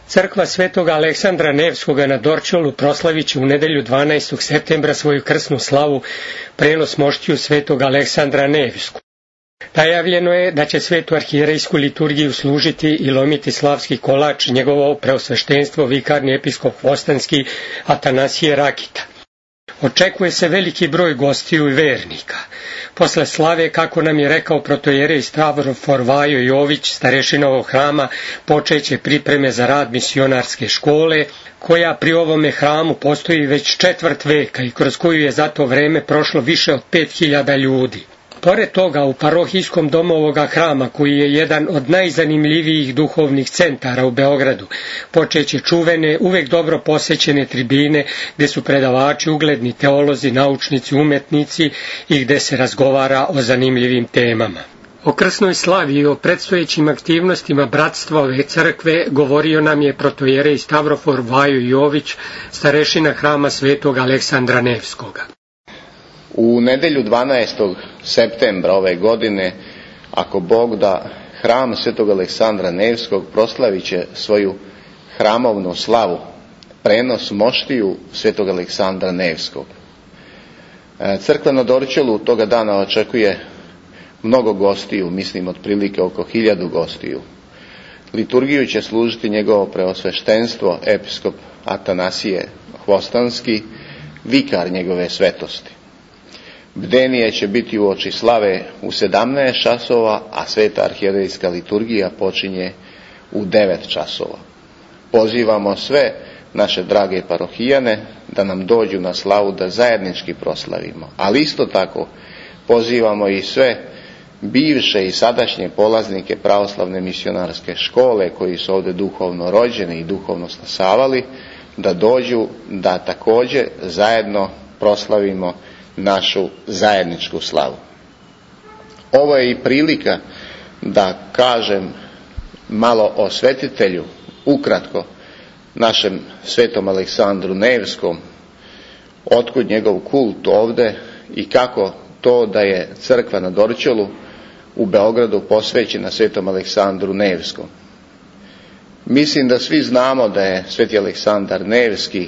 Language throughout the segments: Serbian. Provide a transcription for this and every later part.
Crkva Svetog Aleksandra Nevskoga na Dorćolu proslavit će u nedelju 12. septembra svoju krsnu slavu, prenos moštiju Svetog Aleksandra Nevsku. Najavljeno je da će svetu arhijerejsku liturgiju služiti i lomiti slavski kolač njegovo preosveštenstvo vikarni episkop Hvostanski Atanasije Rakita. Očekuje se veliki broj gostiju i vernika. Posle slave, kako nam je rekao protojerej Stavrofor Vajo Jović, starešina ovog hrama, počeće pripreme za rad misionarske škole, koja pri ovome hramu postoji već 4 veka i kroz koju je za to vreme prošlo više od 5000 ljudi. Pored toga, u parohijskom domu ovoga hrama, koji je jedan od najzanimljivijih duhovnih centara u Beogradu, počeće čuvene, uvek dobro posećene tribine, gde su predavači, ugledni teolozi, naučnici, umetnici i gde se razgovara o zanimljivim temama. O krsnoj slavi i o predstojećim aktivnostima bratstva ove crkve govorio nam je protojerej Stavrofor Vajo Jović, starešina hrama Svetog Aleksandra Nevskoga. U nedelju 12. septembra ove godine, ako Bog da, hram Svetog Aleksandra Nevskog proslavit će svoju hramovnu slavu, prenos moštiju Svetog Aleksandra Nevskog. Crkva na Dorćolu toga dana očekuje mnogo gostiju, mislim otprilike oko 1000 gostiju. Liturgiju će služiti njegovo preosveštenstvo episkop Atanasije Hvostanski, vikar njegove svetosti. Bdenije će biti uoči slave u 17 časova, a sveta arhijerejska liturgija počinje u 9 časova. Pozivamo sve naše drage parohijane da nam dođu na slavu da zajednički proslavimo, ali isto tako pozivamo i sve bivše i sadašnje polaznike pravoslavne misionarske škole koji su ovdje duhovno rođeni i duhovno stasavali, da dođu da također zajedno proslavimo našu zajedničku slavu. Ovo je i prilika da kažem malo o svetitelju, ukratko, našem svetom Aleksandru Nevskom, otkud njegov kult ovdje i kako to da je crkva na Dorćolu u Beogradu posvećena svetom Aleksandru Nevskom. Mislim da svi znamo da je sveti Aleksandar Nevski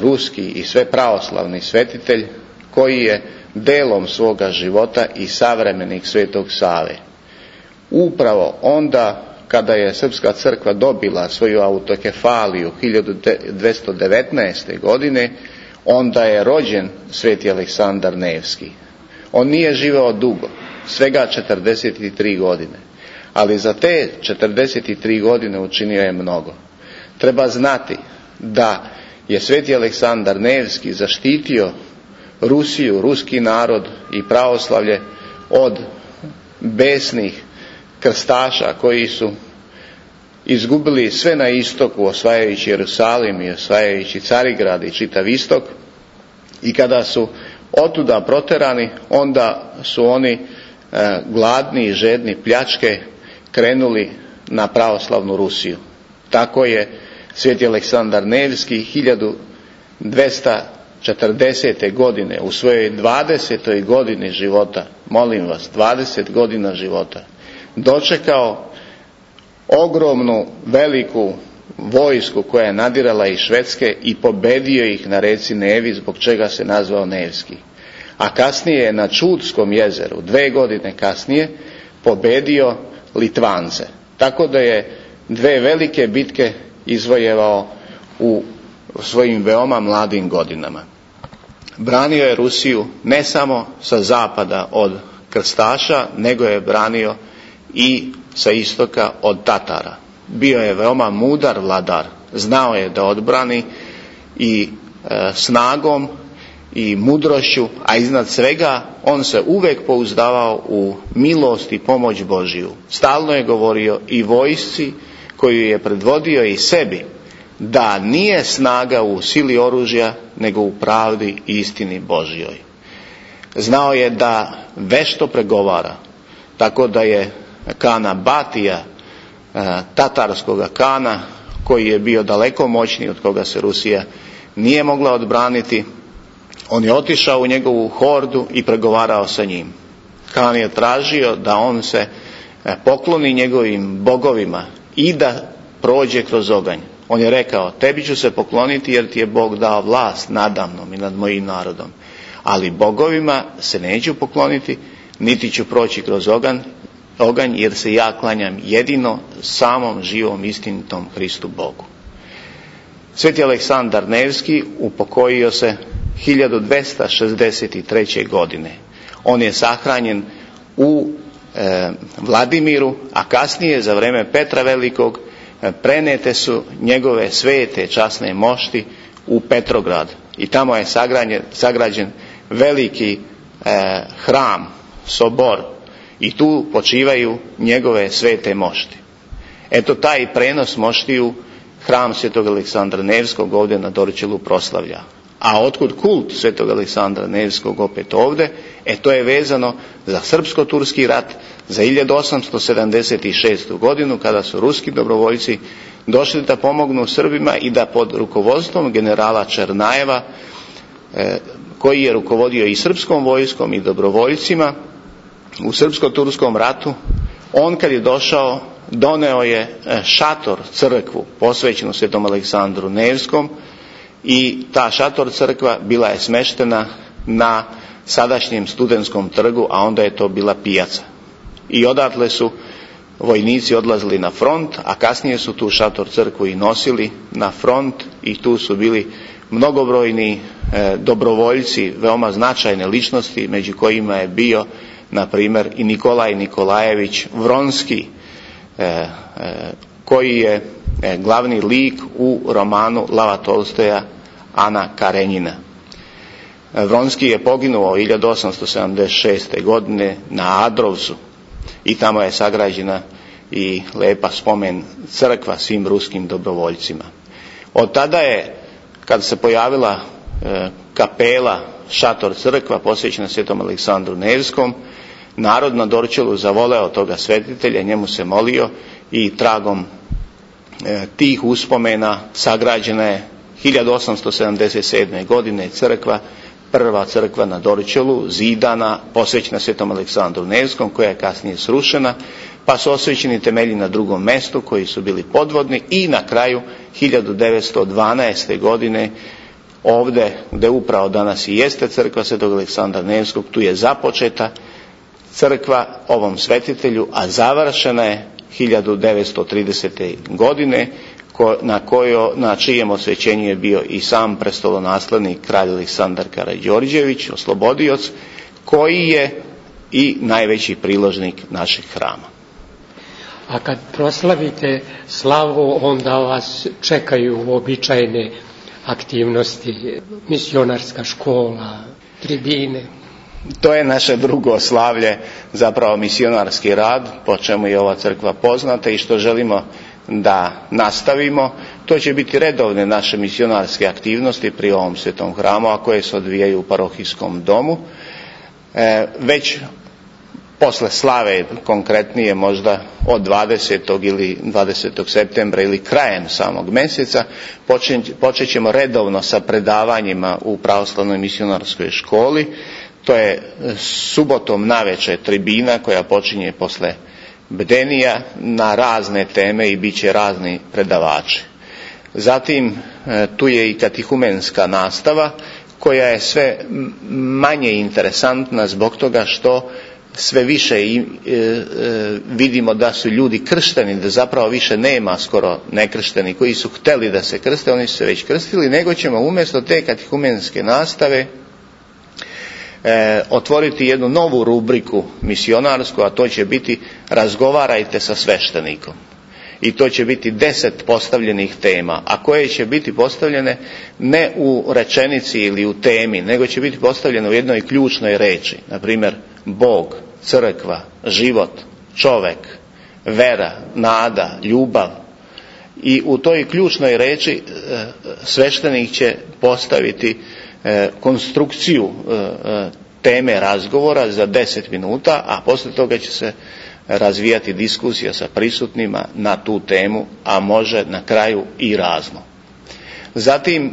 ruski i sve pravoslavni svetitelj koji je delom svoga života i savremenik Svetog Save. Upravo onda kada je Srpska crkva dobila svoju autokefaliju 1219. godine, onda je rođen sveti Aleksandar Nevski. On nije živeo dugo, svega 43 godine, ali za te 43 godine učinio je mnogo. Treba znati da je sveti Aleksandar Nevski zaštitio Rusiju, ruski narod i pravoslavlje od besnih krstaša koji su izgubili sve na istoku, osvajajući Jerusalim i osvajajući Carigrad i čitav istok, i kada su otuda proterani, onda su oni gladni i žedni pljačke krenuli na pravoslavnu Rusiju. Tako je sveti Aleksandar Nevski 1240. godine u svojoj 20. godini života, molim vas, 20 godina života, dočekao ogromnu, veliku vojsku koja je nadirala iz Švedske i pobedio ih na reci Nevi, zbog čega se nazvao Nevski. A kasnije je na Čudskom jezeru, 2 godine kasnije, pobedio Litvance. Tako da je 2 velike bitke izvojevao u svojim veoma mladim godinama. Branio je Rusiju ne samo sa zapada od krstaša, nego je branio i sa istoka od Tatara. Bio je veoma mudar vladar, znao je da odbrani i snagom i mudrošću, a iznad svega on se uvek pouzdavao u milost i pomoć Božiju. Stalno je govorio i vojsci koju je predvodio i sebi, da nije snaga u sili oružja, nego u pravdi i istini Božjoj. Znao je da vešto pregovara, tako da je Kana Batija, tatarskoga kana, koji je bio daleko moćniji, od koga se Rusija nije mogla odbraniti, on je otišao u njegovu hordu i pregovarao sa njim. Kan je tražio da on se pokloni njegovim bogovima i da prođe kroz oganj. On je rekao, tebi ću se pokloniti jer ti je Bog dao vlast nadamnom i nad mojim narodom. Ali bogovima se neću pokloniti, niti ću proći kroz oganj jer se ja klanjam jedino samom živom istinitom Hristu Bogu. Sveti Aleksandar Nevski upokojio se 1263. godine. On je sahranjen u Vladimiru, a kasnije za vrijeme Petra Velikog prenete su njegove svete časne mošti u Petrograd i tamo je sagrađen veliki hram, sobor, i tu počivaju njegove svete mošti. Eto, taj prenos moštiju hram Svetog Aleksandra Nevskog ovdje na Dorćolu proslavlja. A otkud kult Svetog Aleksandra Nevskog opet ovdje? To je vezano za srpsko-turski rat za 1876. godinu, kada su ruski dobrovoljci došli da pomognu Srbima i da pod rukovodstvom generala Černajeva, koji je rukovodio i srpskom vojskom i dobrovoljcima u srpsko-turskom ratu, on kad je došao doneo je šator, crkvu posvećenu Svetom Aleksandru Nevskom, i ta šator crkva bila je smeštena na sadašnjem Studentskom trgu, a onda je to bila pijaca. I odatle su vojnici odlazili na front, a kasnije su tu šator crkvu i nosili na front, i tu su bili mnogobrojni dobrovoljci, veoma značajne ličnosti, među kojima je bio na primjer i Nikolaj Nikolajević Vronski, koji je glavni lik u romanu Lava Tolstoja Ana Karenjina. Vronski je poginuo 1876. godine na Adrovcu i tamo je sagrađena i lepa spomen crkva svim ruskim dobrovoljcima. Od tada je, kad se pojavila kapela, šator crkva posvećena Svetom Aleksandru Nevskom, narod na Dorćolu zavoleo toga svetitelja, njemu se molio, i tragom tih uspomena sagrađena je 1877. godine crkva, prva crkva na Dorćolu, zidana, posvećena Svetom Aleksandru Nevskom, koja je kasnije srušena, pa su osvećeni temelji na drugom mjestu koji su bili podvodni, i na kraju 1912. godine ovdje gdje upravo danas i jeste crkva Svetog Aleksandra Nevskog, tu je započeta crkva ovom svetitelju, a završena je 1930. godine, na čijem osvećenju je bio i sam prestolonaslednik kralj Aleksandar Karađorđević, oslobodioc, koji je i najveći priložnik našeg hrama. A kad proslavite slavu, onda vas čekaju uobičajene aktivnosti, misionarska škola, tribine. To je naše drugo slavlje, zapravo misionarski rad, po čemu je ova crkva poznata i što želimo da nastavimo. To će biti redovne naše misionarske aktivnosti pri ovom svetom hramu, a koje se odvijaju u parohijskom domu. Već posle slave, konkretnije možda od 20. ili 20. septembra ili krajem samog mjeseca, počet ćemo redovno sa predavanjima u pravoslavnoj misionarskoj školi. To je subotom navečer tribina koja počinje posle bdenija na razne teme i bit će razni predavači. Zatim tu je i katehumenska nastava, koja je sve manje interesantna zbog toga što sve više vidimo da su ljudi kršteni, da zapravo više nema skoro nekršteni koji su htjeli da se krste, oni su se već krstili, nego ćemo umjesto te katehumenske nastave otvoriti jednu novu rubriku misionarsku, a to će biti razgovarajte sa sveštenikom. I to će biti 10 postavljenih tema, a koje će biti postavljene ne u rečenici ili u temi, nego će biti postavljene u jednoj ključnoj reči. Na primjer, Bog, crkva, život, čovek, vera, nada, ljubav. I u toj ključnoj reči sveštenik će postaviti konstrukciju teme razgovora za 10 minuta, a poslije toga će se razvijati diskusija sa prisutnima na tu temu, a može na kraju i razno. Zatim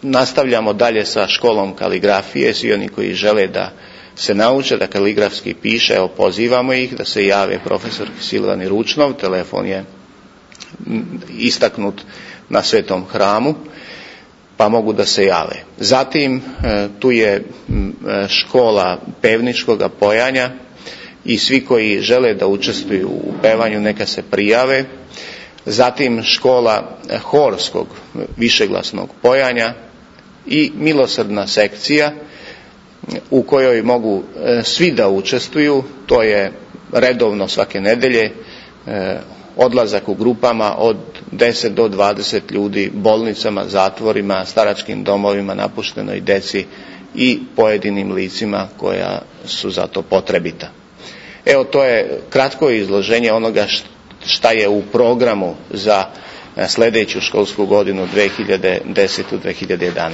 nastavljamo dalje sa školom kaligrafije. Svi oni koji žele da se nauče da kaligrafski piše, pozivamo ih da se jave profesor Silvani Ručnov, telefon je istaknut na Svetom hramu, pa mogu da se jave. Zatim tu je škola pevničkog pojanja i svi koji žele da učestvuju u pevanju neka se prijave. Zatim škola horskog višeglasnog pojanja i milosrdna sekcija u kojoj mogu svi da učestvuju. To je redovno svake nedelje odlazak u grupama od 10 do 20 ljudi bolnicama, zatvorima, staračkim domovima, napuštenoj deci i pojedinim licima koja su za to potrebita. Evo, to je kratko izloženje onoga šta je u programu za sljedeću školsku godinu 2010-2011.